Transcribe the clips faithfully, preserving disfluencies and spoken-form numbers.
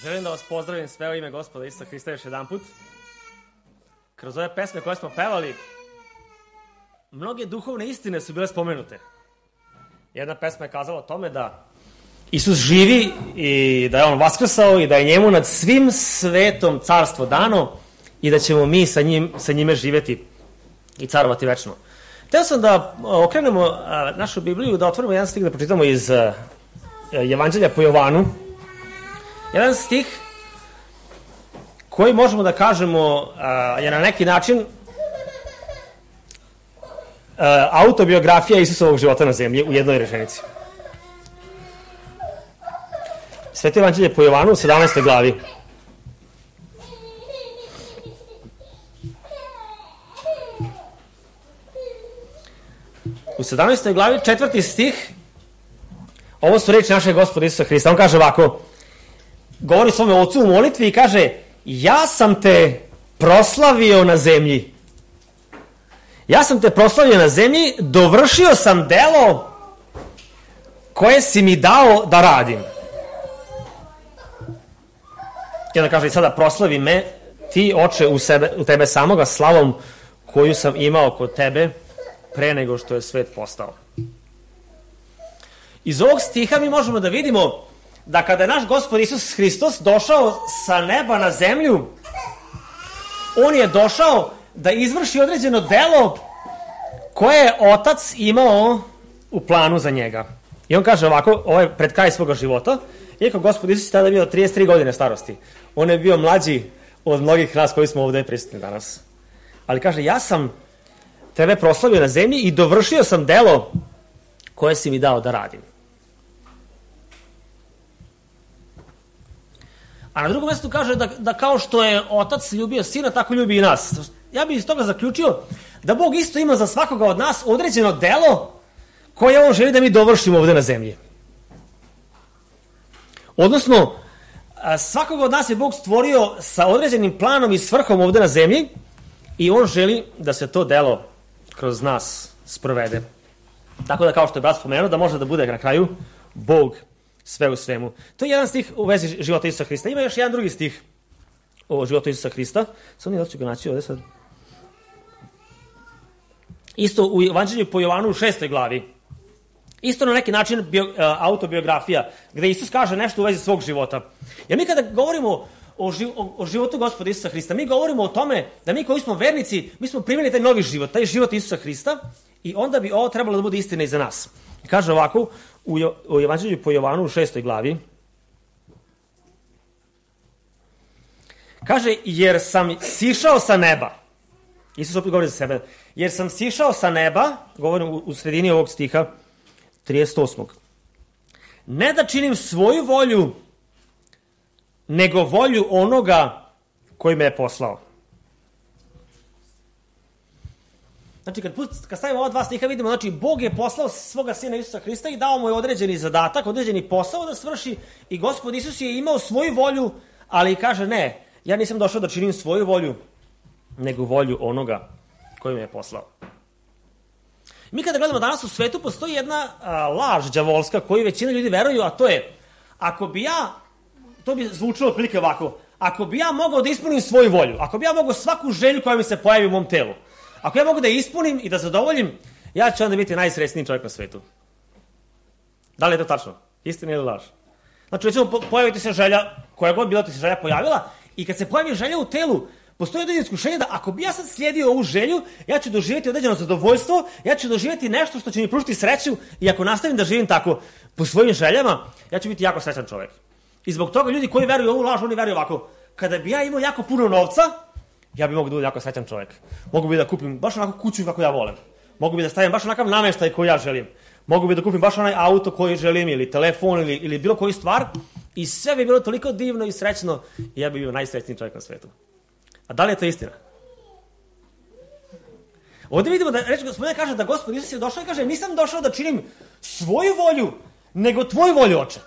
Želim da vas pozdravim sve u ime Gospoda Isusa Hrista još jedan put. Kroz ove pesme koje smo pevali, mnoge duhovne istine su bile spomenute. Jedna pesma je kazala o tome da Isus živi i da je on vaskrsao i da je njemu nad svim svetom carstvo dano i da ćemo mi sa, njim, sa njime živjeti i carovati večno. Htio sam da okrenemo a, našu Bibliju, da otvorimo jedan stih da pročitamo iz a, Evanđelja po Jovanu. Jedan stih koji možemo da kažemo a, je na neki način a, autobiografija Isusovog života na zemlji u jednoj rečenici. Sveto Evanđelje po Jovanu u sedamnaestoj glavi. U sedamnaestoj glavi, četvrti stih, ovo su reči našeg Gospoda Isusa Hrista. On kaže ovako, govori svome ocu u molitvi i kaže, ja sam te proslavio na zemlji. Ja sam te proslavio na zemlji, dovršio sam delo koje si mi dao da radim. I onda kaže, sada proslavi me, ti, oče, u, sebe, u tebe samoga slavom koju sam imao kod tebe pre nego što je svet postao. Iz ovog stiha mi možemo da vidimo da kada je naš Gospod Isus Hristos došao sa neba na zemlju, on je došao da izvrši određeno delo koje je Otac imao u planu za njega. I on kaže ovako, ovo je pred kraj svoga života, iako Gospod Isus je tada bio trideset tri godine starosti. On je bio mlađi od mnogih nas koji smo ovdje prisutni danas. Ali kaže, ja sam tebe proslavio na zemlji i dovršio sam delo koje si mi dao da radim. A na drugom mjestu kaže da, da kao što je Otac ljubio Sina, tako ljubi i nas. Ja bih iz toga zaključio da Bog isto ima za svakoga od nas određeno delo koje on želi da mi dovršimo ovdje na zemlji. Odnosno, svakoga od nas je Bog stvorio sa određenim planom i svrhom ovdje na zemlji i on želi da se to delo kroz nas sprovede. Tako da, kao što je brat spomenuo, da može da bude na kraju Bog sve u svemu. To je jedan stih u vezi života Isusa Hrista. Ima još jedan drugi stih o životu Isusa Hrista. Samo nije da ću ga naći ovdje sad. Isto u Evanđelju po Jovanu u šestoj glavi. Isto na neki način bio, autobiografija, gdje Isus kaže nešto u vezi svog života. Jer mi kada govorimo o, živ, o, o životu Gospoda Isusa Hrista, mi govorimo o tome da mi koji smo vernici, mi smo primili taj novi život, taj život Isusa Hrista i onda bi ovo trebalo da bude istina i za nas. I kaže ovako, u, u Evanđelju po Jovanu u šestoj glavi, kaže, jer sam sišao sa neba, Isus opet govori za sebe, jer sam sišao sa neba, govorim u, u sredini ovog stiha, trideset osmog Ne da činim svoju volju, nego volju onoga koji me je poslao. Znači, kad, kad stavimo ova dva stiha, vidimo, znači, Bog je poslao svoga Sina Isusa Hrista i dao mu je određeni zadatak, određeni posao da svrši i Gospod Isus je imao svoju volju, ali kaže, ne, ja nisam došao da činim svoju volju, nego volju onoga koji me je poslao. Mi kada gledamo danas u svetu, postoji jedna a, laž đavolska koju većina ljudi veruju, a to je, ako bi ja, to bi zvučilo otprilike ovako, ako bi ja mogao da ispunim svoju volju, ako bi ja mogao svaku želju koja mi se pojavi u mom telu, ako ja mogu da ispunim i da zadovoljim, ja ću onda biti najsrećniji čovjek na svetu. Da li je to tačno? Istina ili laž? Znači, recimo, pojaviti se želja, koja god bila ti se želja pojavila, i kad se pojavi želja u telu, postoji određeno iskušenje da ako bi ja sad slijedio ovu želju, ja ću doživjeti određeno zadovoljstvo, ja ću doživjeti nešto što će mi pružiti sreću i ako nastavim da živim tako po svojim željama, ja ću biti jako srećan čovjek. I zbog toga ljudi koji veruju u ovu laž, oni veruju ovako, kada bi ja imao jako puno novca, ja bi mogu da budem jako srećan čovjek. Mogu bi da kupim baš onako kuću kako ja volim. Mogu bi da stavim baš onakav namještaj koji ja želim. Mogu bi da kupim baš onaj auto koji želim ili telefon ili, ili bilo koju stvar i sve bi bilo toliko divno i srećno i ja bi bio najsrećniji čovjek na svijetu. A da li je to istina? Ovdje vidimo da reč Gospodine kaže da Gospod Isus je došao i kaže nisam došao da činim svoju volju, nego tvoju volju, oče.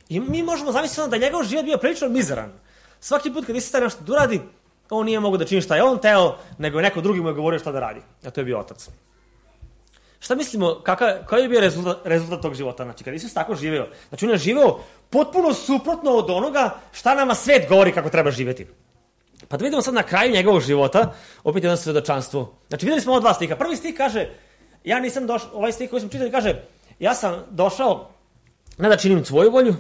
I mi možemo zamisliti da njegov život bio prilično mizeran. Svaki put kad Isus taj nešto da uradi, on nije mogao da čini šta je on teo, nego je neko drugi mu je govorio šta da radi. A to je bio Otac. Šta mislimo, kakav, koji je bio rezultat, rezultat tog života? Znači, kada Isus tako živeo, znači on je živeo potpuno suprotno od onoga šta nama svet govori kako treba živjeti. Pa da vidimo sad na kraju njegovog života, opet jedno svedočanstvo. Znači, vidjeli smo ovo dva stiha. Prvi stih kaže, ja nisam došao, ovaj stih koji smo čitali kaže, ja sam došao ne da činim tvoju volju,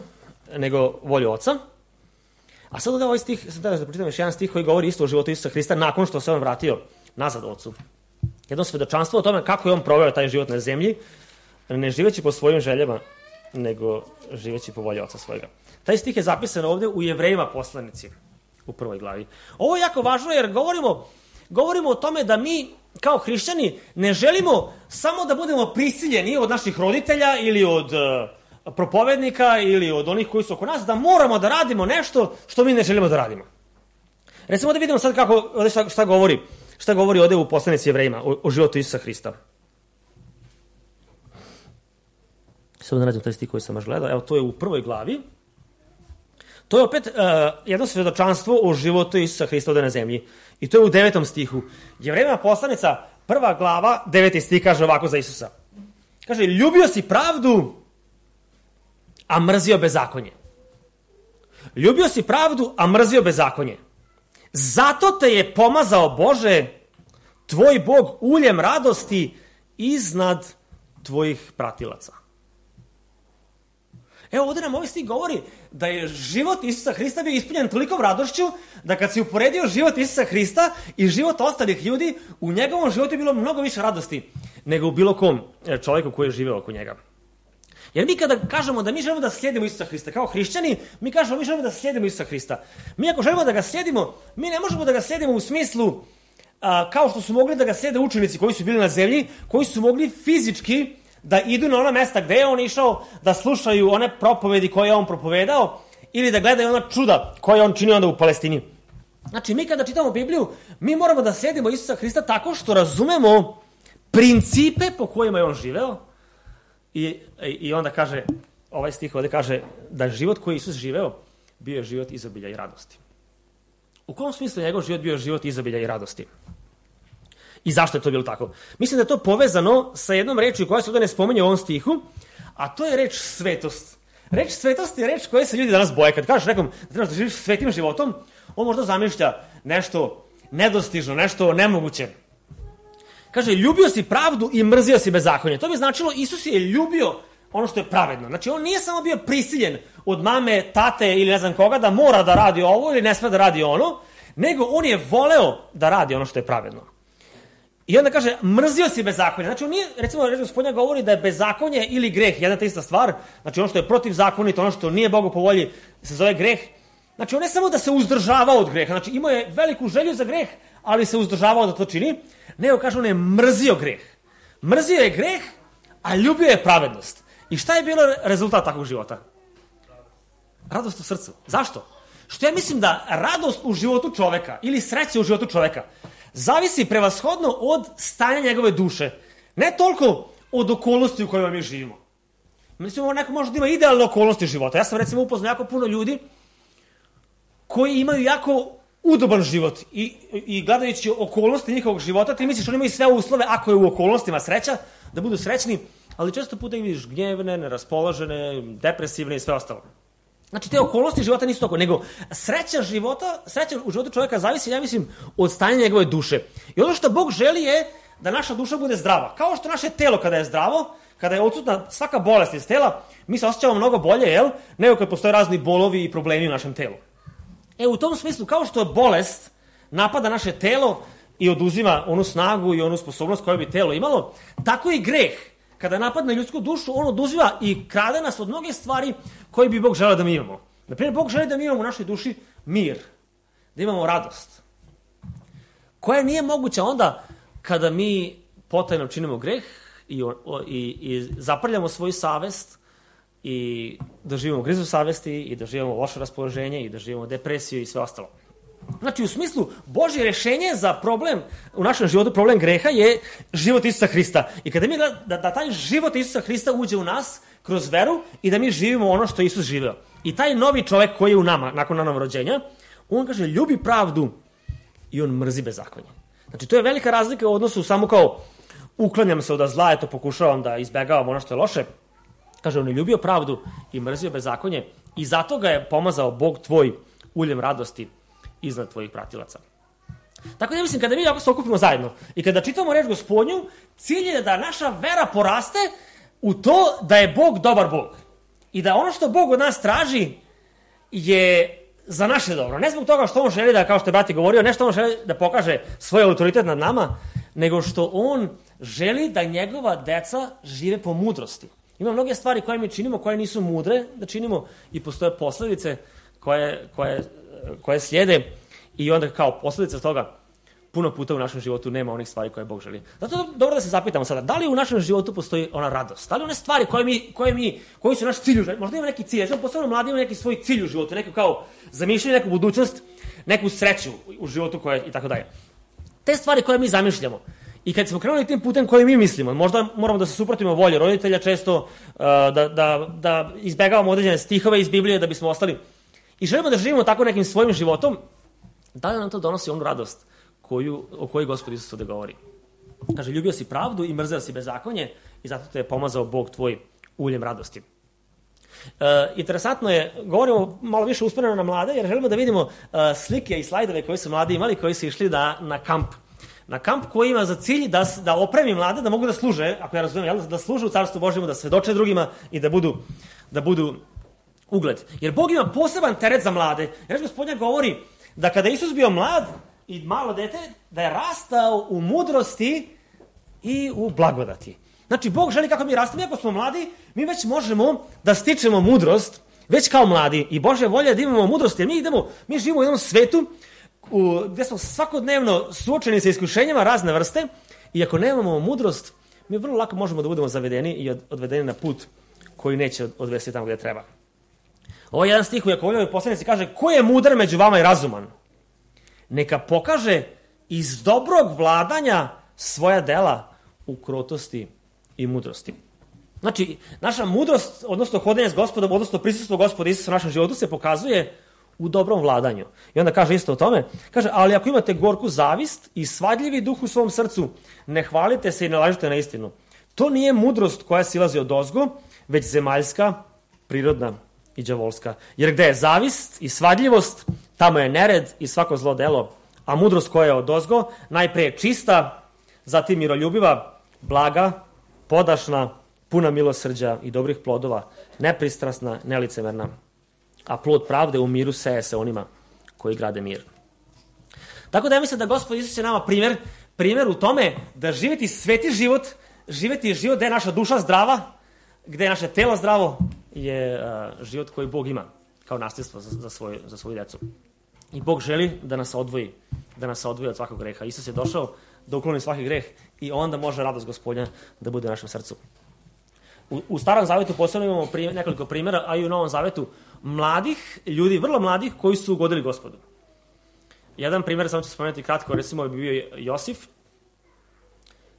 nego volju Oca. A sad ovaj stih, sam da pročitam još jedan stih koji govori isto o životu Isusa Hrista nakon što se on vratio nazad Ocu. Jedno svedočanstvo o tome kako je on proveo taj život na zemlji, ne živeći po svojim željama, nego živeći po volji Oca svojega. Taj stih je zapisan ovdje u Jevrejima poslanici, u prvoj glavi. Ovo je jako važno jer govorimo, govorimo o tome da mi kao hrišćani ne želimo samo da budemo prisiljeni od naših roditelja ili od uh, propovednika ili od onih koji su oko nas, da moramo da radimo nešto što mi ne želimo da radimo. Recimo da vidimo sad kako, ovdje šta, šta govori, šta govori ovdje u poslanici Jevrejima o, o životu Isusa Hrista. Samo da nađem taj stih koji sam baš gledao. Evo, to je u prvoj glavi. To je opet uh, jedno svedočanstvo o životu Isusa Hrista ovdje na zemlji. I to je u devetom stihu. Jevrejima poslanica, prva glava, deveti stih kaže ovako za Isusa. Kaže, ljubio si pravdu, a mrzio bezakonje. Ljubio si pravdu, a mrzio bezakonje. Zato te je pomazao Bože, tvoj Bog, uljem radosti iznad tvojih pratilaca. Evo ovdje nam ovaj stih govori da je život Isusa Hrista bio ispunjen tolikom radošću da kad si uporedio život Isusa Hrista i život ostalih ljudi, u njegovom životu je bilo mnogo više radosti nego u bilo kom čovjeku koji je živeo oko njega. Jer mi kada kažemo da mi želimo da slijedimo Isusa Hrista, kao hrišćani, mi kažemo mi želimo da slijedimo Isusa Hrista. Mi ako želimo da ga slijedimo, mi ne možemo da ga slijedimo u smislu a, kao što su mogli da ga slijede učenici koji su bili na zemlji, koji su mogli fizički da idu na ona mesta gde je on išao, da slušaju one propovedi koje je on propovedao ili da gledaju ona čuda koje on činio onda u Palestini. Znači, mi kada čitamo Bibliju, mi moramo da slijedimo Isusa Hrista tako što razumemo principe po kojima je on živeo i, i onda kaže, ovaj stih ovdje kaže da život koji Isus živeo bio je život izobilja i radosti. U kom smislu njegov život bio život izobilja i radosti? I zašto je to bilo tako? Mislim da je to povezano sa jednom rečju koja se ovdje ne spominje u ovom stihu, a to je reč svetost. Reč svetost je reč koje se ljudi danas boje. Kad kažeš nekom da trebaš da živiš svetim životom, on možda zamišlja nešto nedostižno, nešto nemoguće. Kaže, ljubio si pravdu i mrzio si bezakonje. To bi značilo, Isus je ljubio ono što je pravedno. Znači, on nije samo bio prisiljen od mame, tate ili ne znam koga da mora da radi ovo ili ne sme da radi ono, nego on je voleo da radi ono što je pravedno. I onda kaže, mrzio si bezakonje. Znači, on nije, recimo, reč Gospodnja govori da je bezakonje ili greh jedna ta ista stvar. Znači, ono što je protivzakonito, ono što nije Bogu po volji, se zove greh. Znači, on ne samo da se uzdržavao od greha, znači, imao je veliku želju za greh, ali se uzdržavao da to čini, nego kaže, on je mrzio greh. Mrzio je greh, a ljubio je pravednost. I šta je bilo rezultat takvog života? Radost u srcu. Zašto? Što ja mislim da radost u životu čoveka ili sreća u životu čoveka zavisi prevashodno od stanja njegove duše. Ne toliko od okolnosti u kojima mi živimo. Mislim, neko može da ima idealne okolnosti života. Ja sam recimo upoznao jako puno ljudi koji imaju jako udoban život i, i gledajući okolnosti njihovog života, ti misliš oni imaju sve uslove, ako je u okolnostima sreća, da budu srećni, ali često puta ih vidiš gnjevne, neraspoložene, depresivne i sve ostalo. Znači, te okolnosti života nisu toliko, nego sreća života, sreća u životu čovjeka zavisi, ja mislim, od stanja njegove duše. I ono što Bog želi je da naša duša bude zdrava. Kao što naše telo kada je zdravo, kada je odsutna svaka bolest iz tela, mi se osjećamo mnogo bolje, jel? Nego kad postoje razni bolovi i problemi u našem telu. E, u tom smislu, kao što je bolest napada naše telo i oduzima onu snagu i onu sposobnost koju bi telo imalo, tako i greh, kada napadne ljudsku dušu, on oduzima i krade nas od mnoge stvari koje bi Bog želeo da mi imamo. Naprimjer, Bog želi da mi imamo u našoj duši mir, da imamo radost, koja nije moguća onda kada mi potajno činimo greh i, i, i zaprljamo svoju savest i doživimo grizu savesti i doživimo loše raspoloženje i doživimo depresiju i sve ostalo. Znači, u smislu, Božje rješenje za problem u našem životu, problem greha je život Isusa Hrista. I kada mi gleda, da, da taj život Isusa Hrista uđe u nas kroz veru i da mi živimo ono što je Isus živeo. I taj novi čovjek koji je u nama, nakon novog rođenja, on kaže, ljubi pravdu i on mrzi bezakonje. Znači, to je velika razlika u odnosu samo kao uklanjam se od zla, eto pokušavam da izbegavam ono što je loše. Kaže, on je ljubio pravdu i mrzio bezakonje i zato ga je pomazao Bog tvoj uljem radosti iznad tvojih pratilaca. Tako da ja mislim, kada mi ovako se okupimo zajedno i kada čitamo reč Gospodnju, cilj je da naša vera poraste u to da je Bog dobar Bog. I da ono što Bog od nas traži je za naše dobro. Ne zbog toga što on želi da, kao što je brati govorio, ne što on želi da pokaže svoj autoritet nad nama, nego što on želi da njegova deca žive po mudrosti. Ima mnoge stvari koje mi činimo, koje nisu mudre da činimo i postoje posledice koje, koje, koje slijede i onda kao posljedica toga puno puta u našem životu nema onih stvari koje Bog želi. Zato je dobro da se zapitamo sada, da li u našem životu postoji ona radost? Da li one stvari koje mi, koje mi, koji su naš cilj u životu? Možda ima neki cilj, ja sam posebno mladi ima neki svoj cilj u životu, neko kao zamišljanje, neku budućnost, neku sreću u životu koje, i tako dalje. Te stvari koje mi zamišljamo. I kad smo krenuli tim putem koji mi mislimo, možda moramo da se suprotimo volje roditelja često, uh, da, da, da izbegavamo određene stihove iz Biblije da bismo ostali. I želimo da živimo tako nekim svojim životom, da li nam to donosi onu radost koju, o kojoj Gospod Isus ovde govori. Kaže, ljubio si pravdu i mrzeo si bezakonje i zato te je pomazao Bog tvoj uljem radosti. E, interesantno je, govorimo malo više usmjereno na mlade, jer želimo da vidimo e, slike i slajdove koje su mladi imali, koji su išli da, na kamp. Na kamp koji ima za cilj da, da opremi mlade, da mogu da služe, ako ja razumijem, jel, da služe u Carstvu Božjemu, da svedoče drugima i da budu, da budu ugled. Jer Bog ima poseban teret za mlade. Jer Gospodnja govori da kada Isus bio mlad i malo dete, da je rastao u mudrosti i u blagodati. Znači, Bog želi kako mi rastemo, iako smo mladi, mi već možemo da stičemo mudrost, već kao mladi. I Božja volja je da imamo mudrost, jer mi idemo, mi živimo u jednom svetu u, gdje smo svakodnevno suočeni sa iskušenjima razne vrste i ako nemamo mudrost, mi vrlo lako možemo da budemo zavedeni i od, odvedeni na put koji neće odvesti tamo gdje treba. Ovo je jedan stih u Jakovljevoj poslanici kaže, ko je mudar među vama i razuman? Neka pokaže iz dobrog vladanja svoja dela u krotosti i mudrosti. Znači, naša mudrost, odnosno hodenje s Gospodom, odnosno prisustvo Gospoda Isusa u našem životu se pokazuje u dobrom vladanju. I onda kaže isto o tome, kaže, ali ako imate gorku zavist i svadljivi duh u svom srcu, ne hvalite se i ne lažite na istinu. To nije mudrost koja silazi od ozgo, već zemaljska, prirodna i đavolska. Jer gde je zavist i svadljivost, tamo je nered i svako zlo delo. A mudrost koja je od ozgo, najpre je čista, zatim miroljubiva, blaga, podašna, puna milosrđa i dobrih plodova, nepristrasna, nelicemerna. A plod pravde u miru seje se onima koji grade mir. Tako da ja mislim da Gospod Isus je nama primjer, primjer u tome da živjeti sveti život, živjeti život gde je naša duša zdrava, gde je naše telo zdravo, je uh, život koji Bog ima kao nasljedstvo za, za, svoj, za svoju djecu. I Bog želi da nas odvoji, da nas odvoji od svakog greha. Isus je došao da ukloni svaki greh i onda može radost Gospodnja da bude u našem srcu. U, u Starom Zavetu posebno imamo primjer, nekoliko primjera, a i u Novom Zavetu mladih ljudi, vrlo mladih, koji su ugodili Gospodu. Jedan primjer, samo ću spomenuti kratko, recimo je bio Josif,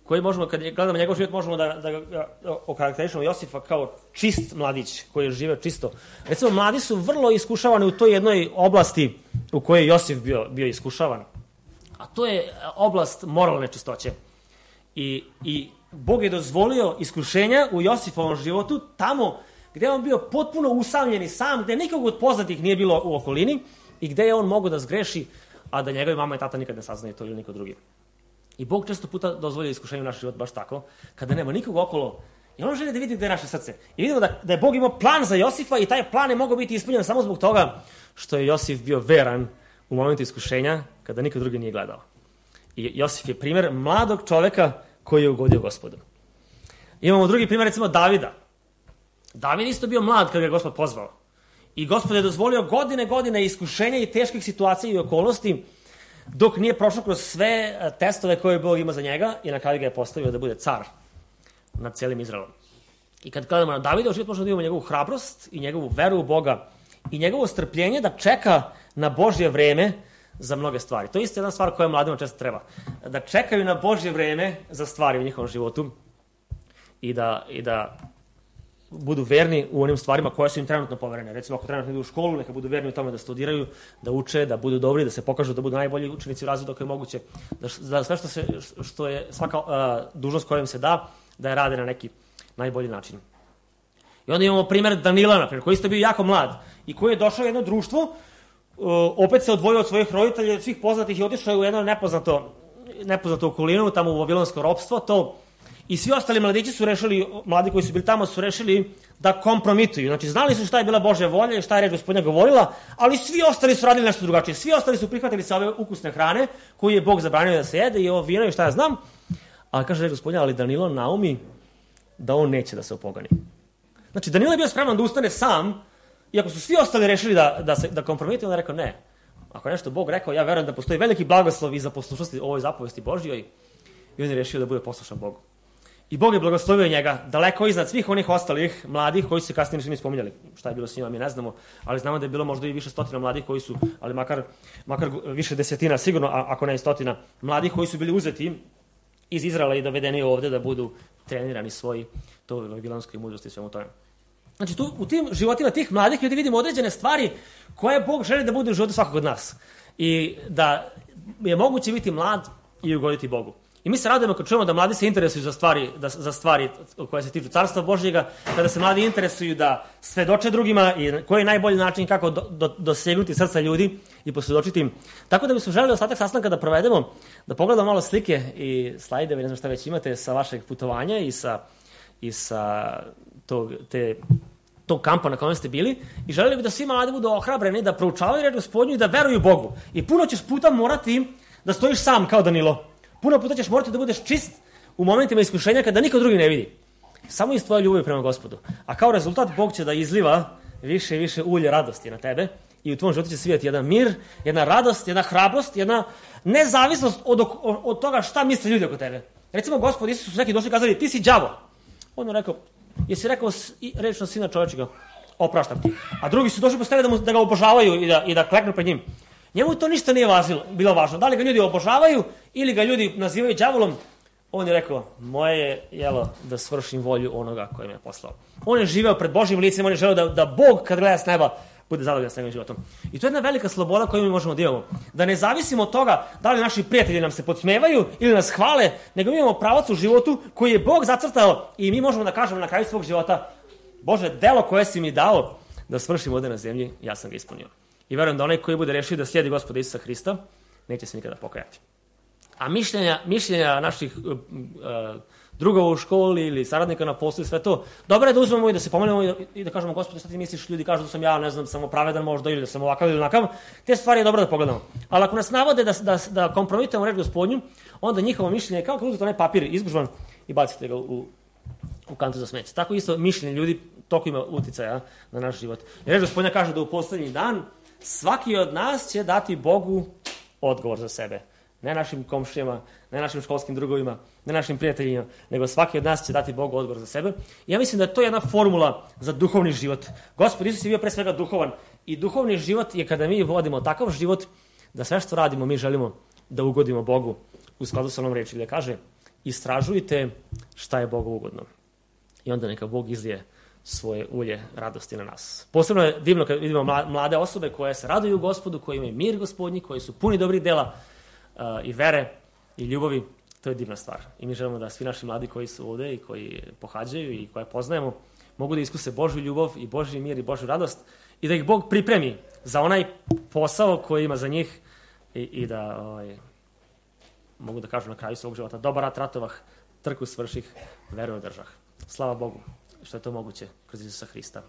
koji možemo, kad gledamo njegov život, možemo da, da, da okarakterišemo Josifa kao čist mladić, koji je živeo čisto. Recimo, mladi su vrlo iskušavani u toj jednoj oblasti u kojoj je Josif bio, bio iskušavan. A to je oblast moralne čistoće. I, i Bog je dozvolio iskušenja u Josifovom životu tamo gde je on bio potpuno usamljen i sam, gde nikog od poznatih nije bilo u okolini i gde je on mogao da zgreši, a da njegovi mama i tata nikad ne saznaju to ili niko drugi. I Bog često puta dozvolio iskušenje u naš život baš tako, kada nema nikog okolo, i on želi da vidi gde je naše srce. I vidimo da, da je Bog imao plan za Josifa i taj plan je mogao biti ispunjen samo zbog toga što je Josif bio veran u momentu iskušenja kada niko drugi nije gledao. I Josif je primjer mladog čoveka koji je ugodio Gospodu. Imamo drugi primjer, recimo Davida. David isto bio mlad kada ga je Gospod pozvao. I Gospod je dozvolio godine, godine iskušenja i teških situacija i okolnosti dok nije prošao kroz sve testove koje Bog ima za njega i na kraju ga je postavio da bude car nad cijelim Izraelom. I kad gledamo na Davida, u život možemo da imamo njegovu hrabrost i njegovu veru u Boga i njegovo strpljenje da čeka na Božje vreme za mnoge stvari. To je isto jedna stvar koja mladima često treba. Da čekaju na Božje vreme za stvari u njihovom životu i da, i da budu verni u onim stvarima koje su im trenutno poverene. Recimo, ako trenutno idu u školu, neka budu verni u tome da studiraju, da uče, da budu dobri, da se pokažu da budu najbolji učenici u razredu ako je moguće, da, da sve što, se, što je svaka uh, dužnost koja im se da, da je rade na neki najbolji način. I onda imamo primjer Danila, naprimjer, koji isto bio jako mlad i koji je došao u jedno društvo, uh, opet se odvojio od svojih roditelja, od svih poznatih i otišao u jedno nepoznato, nepoznato okolinu, tamo u vavilonsko ropstvo, to. I svi ostali mladići su rešili, mladi koji su bili tamo su rešili da kompromituju. Znači, znali su šta je bila Božja volja i šta je reč Gospodnja govorila, ali svi ostali su radili nešto drugačije. Svi ostali su prihvatili se ove ukusne hrane koju je Bog zabranio da se jede i ovo vino i šta ja znam. Ali kaže reč Gospodnja, ali Danilo naumi da on neće da se opogani. Znači, Danilo je bio spreman da ustane sam, iako su svi ostali rešili da, da, se, da kompromituju, on je rekao ne. Ako je nešto Bog rekao, ja verujem da postoji veliki blagoslov i za poslušnosti ovoj zapovesti Božjoj i on je rešio da bude poslušan Bogu. I Bog je blagoslovio njega daleko iznad svih onih ostalih mladih koji su se kasnije ništa ne spominjali. Šta je bilo s njima, mi ne znamo, ali znamo da je bilo možda i više stotina mladih koji su, ali makar, makar više desetina sigurno, a, ako ne i stotina mladih koji su bili uzeti iz Izraela i dovedeni ovde da budu trenirani svoji toj vavilonskoj mudrosti i svemu tome. Znači, tu, u tim životima tih mladih ljudi vidimo određene stvari koje Bog želi da bude u životu svakog od nas. I da je moguće biti mlad i ugoditi Bogu. I mi se radujemo kad čujemo da mladi se interesuju za stvari, da, za stvari koje se tiču Carstva Božjega, kada se mladi interesuju da svedoče drugima i koji je najbolji način kako do, do, dosegnuti srca ljudi i posvjedočiti im. Tako da bismo želeli ostatak sastanka da provedemo, da pogledamo malo slike i slajdeve, ne znam šta već imate, sa vašeg putovanja i sa, i sa tog, te, tog kampa na kojem ste bili. I želeli bi da svi mladi budu ohrabreni, da proučavaju reč Gospodnju i da veruju Bogu. I puno ćeš puta morati da stojiš sam kao Danilo. Puno puta ćeš morati da budeš čist u momentima iskušenja kada niko drugi ne vidi. Samo iz tvoje ljubavi prema Gospodu. A kao rezultat Bog će da izliva više i više ulje radosti na tebe i u tvom životu će svijeti jedan mir, jedna radost, jedna hrabrost, jedna nezavisnost od, od, od toga šta misle ljudi oko tebe. Recimo, Gospod Isus su neki došli i kazali, ti si đavo. On je rekao, jesi rekao reč na sina čovječega, opraštam ti. A drugi su došli postavili da, mu, da ga obožavaju i da, i da kleknu pred njim. Njemu to ništa nije važilo, bilo važno. Da li ga ljudi obožavaju ili ga ljudi nazivaju đavolom, on je rekao, moje je jelo da svršim volju onoga koji me je poslao. On je živeo pred Božjim licem, on je želeo da, da Bog kad gleda s neba bude zadovoljan s njegovim životom. I to je jedna velika sloboda koju mi možemo da imamo. Da ne zavisimo od toga da li naši prijatelji nam se podsmevaju ili nas hvale, nego mi imamo pravac u životu koji je Bog zacrtao i mi možemo da kažemo na kraju svog života, Bože, delo koje si mi dao da svršim ovde na zemlji, ja sam ga ispunio. I verujem da onaj koji bude rešio da slijedi Gospoda Isusa Hrista, neće se nikada pokajati. A mišljenja, mišljenja naših uh, uh, drugova u školi ili saradnika na poslu i sve to, dobro je da uzmemo i da se pomenemo i da, i da kažemo, Gospode, šta ti misliš, ljudi kažu da sam ja, ne znam, samo pravedan možda ili da sam ovakav ili onakav, te stvari je dobro da pogledamo. Ali ako nas navode da, da, da kompromitujemo reč Gospodnju, onda njihovo mišljenje je kao kad uzete onaj papir izgužvan i bacite ga u, u kantu za smeće. Tako isto mišljenje ljudi toliko ima uticaja na naš život. I reč Gospodnja kaže da u poslednji dan svaki od nas će dati Bogu odgovor za sebe. Ne našim komšijama, ne našim školskim drugovima, ne našim prijateljima, nego svaki od nas će dati Bogu odgovor za sebe. I ja mislim da je to jedna formula za duhovni život. Gospod Isus je bio pre svega duhovan i duhovni život je kada mi vodimo takav život da sve što radimo mi želimo da ugodimo Bogu u skladu sa onom reči gdje kaže istražujte šta je Bogu ugodno. I onda neka Bog izlije svoje ulje radosti na nas. Posebno je divno kad vidimo mlade osobe koje se raduju Gospodu, koji imaju mir Gospodnji, koji su puni dobrih dela uh, i vere i ljubavi. To je divna stvar. I mi želimo da svi naši mladi koji su ovde i koji pohađaju i koje poznajemo mogu da iskuse Božju ljubav i Božji mir i Božju radost i da ih Bog pripremi za onaj posao koji ima za njih i, i da ovaj, mogu da kažu na kraju svog života dobar rat ratovah, trku svrših, veru držah. Slava Bogu što je to moguće kroz Isusa Hrista.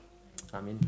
Amin.